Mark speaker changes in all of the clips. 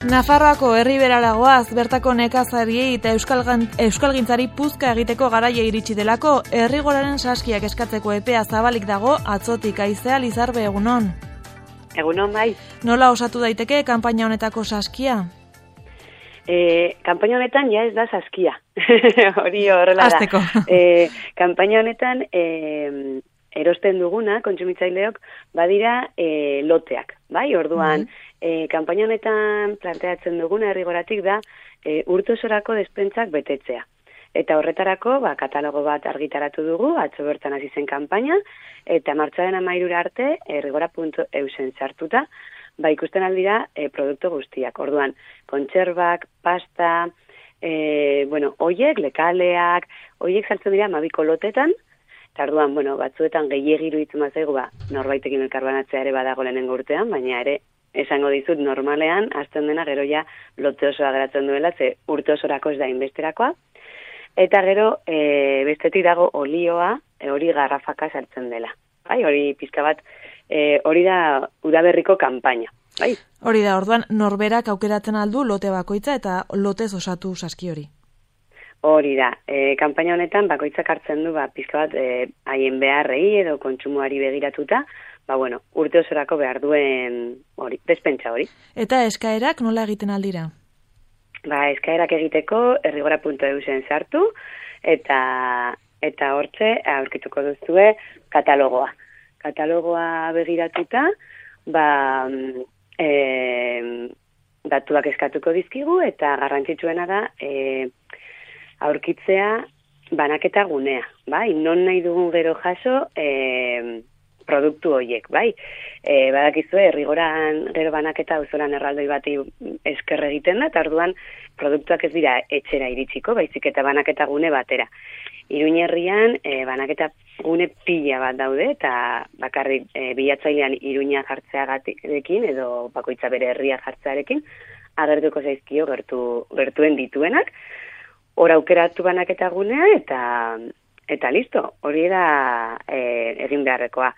Speaker 1: Nafarroako herriberaragoaz, bertako nekazariei eta euskalgintzari puzka egiteko garaia iritsi delako, Errigoraren saskiak eskatzeko epea zabalik dago, atzotik. Aizea Lizarbe, egunon.
Speaker 2: Egunon, bai.
Speaker 1: Nola osatu daiteke kanpaina honetako saskia?
Speaker 2: Kanpaina honetan ja ez da saskia. Hori horrela da.
Speaker 1: Azteko.
Speaker 2: Kanpaina honetan erosten duguna, kontsumitzaileok, badira loteak. Bai, orduan, kanpaina honetan planteatzen duguna Errigoratik da urte osorako despentsak betetzea. Eta horretarako, katalogo bat argitaratu dugu, atzo bertan hasi zen kanpaina, eta martxoaren 13 arte errigora.eusen sartuta, ikusten aldira produktu guztiak. Orduan, kontserbak, pasta, oiek, lekaleak, oiek saltzen dira 12 lotetan, eta orduan, batzuetan gehiagiru itzen bazaigu, norbaitekin elkarbanatzea ere badago lehenengo urtean, baina ere, esango dizut normalean, azten dena gero ja lote osoa geratzen duela, ze urte osorako ez da inbesterakoa, eta gero bestetik dago olioa, hori garrafaka sartzen dela. Hori pizka bat, hori da udaberriko kanpaina.
Speaker 1: Hori da, orduan norberak aukeratzen aldu lote bakoitza eta lotez osatu saski hori.
Speaker 2: Hori da, kanpaina honetan bakoitzak hartzen du pizka bat haien beharrei edo kontsumoari begiratuta, urte osorako behar duen despentsa hori.
Speaker 1: Eta eskaerak nola egiten aldira?
Speaker 2: Eskaerak egiteko errigora.eusen sartu eta hortze aurkituko duzue katalogoa. Katalogoa begiratuta, datuak eskatuko dizkigu eta garrantzitsuena da aurkitzea banaketa gunea. Non nahi dugun gero jaso produktu horiek, badakizue, Errigoran gero banaketa auzolan erraldoi bati esker egiten da, eta orduan produktuak ez dira etxera iritsiko, baizik eta banaketa gune batera. Iruin herrian banaketa gune pila bat daude, eta bakarrik bilatzailean Iruña jartzeagarekin, edo bakoitza bere herria jartzearekin, agertuko zaizkio gertuen dituenak, hor aukeratu banaketa gunea, eta listo, hori da egin beharrekoa.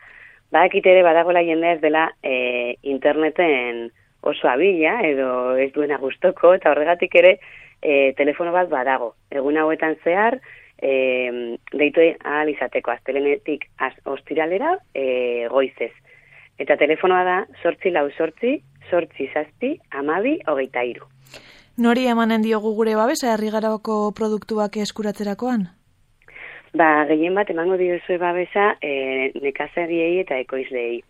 Speaker 2: Badakit ere badagoela jendea ez dela interneten oso abila edo ez duena gustoko, eta horregatik ere telefono bat badago. Egun hauetan zehar, deitu ahal izateko, astelenetik ostiralera goizez. Eta telefonoa da 848 867 12 23.
Speaker 1: Nori emanen diogu gure babesa Errigarako produktuak eskuratzerakoan?
Speaker 2: Gehien bat emango diozue babesa nekazariei eta ekoizleei.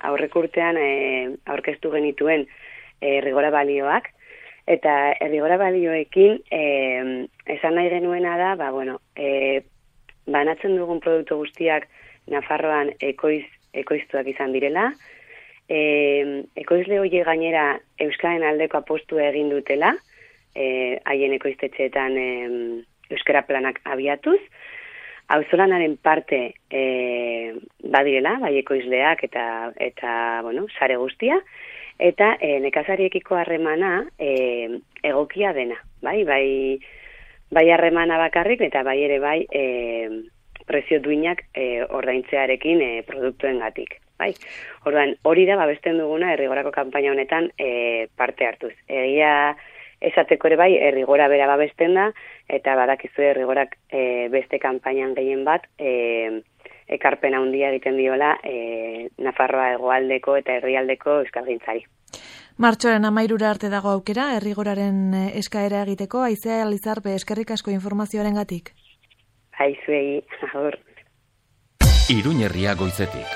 Speaker 2: Aurreko urtean aurkeztu genituen Errigora balioak, eta Errigora balioekin esan nahi genuena da, banatzen dugun produktu guztiak Nafarroan ekoiztuak izan direla, ekoizle horiek gainera euskaren aldeko apostua egin dutela, haien ekoiztetxeetan euskara planak abiatuz, auzolanaren parte badirela, ekoizleak eta sare guztia, eta nekazariekiko harremana egokia dena, bai harremana bakarrik, eta bai ere prezio duinak ordaintzearekin produktuengatik. Orduan, hori da babesten duguna Errigorako kanpaina honetan parte hartuz. Egia esateko ere Errigora bera babesten da, eta badakizue Errigorak beste kanpainan gehien bat ekarpen handia egiten diola Nafarroa hegoaldeko eta herrialdeko euskalgintzari.
Speaker 1: Martxoaren 13 arte dago aukera Errigoraren eskaera egiteko. Aizea Lizarbe, eskerrik asko informazioarengatik.
Speaker 2: Aizuei, agur.
Speaker 3: Iruñerria goizetik.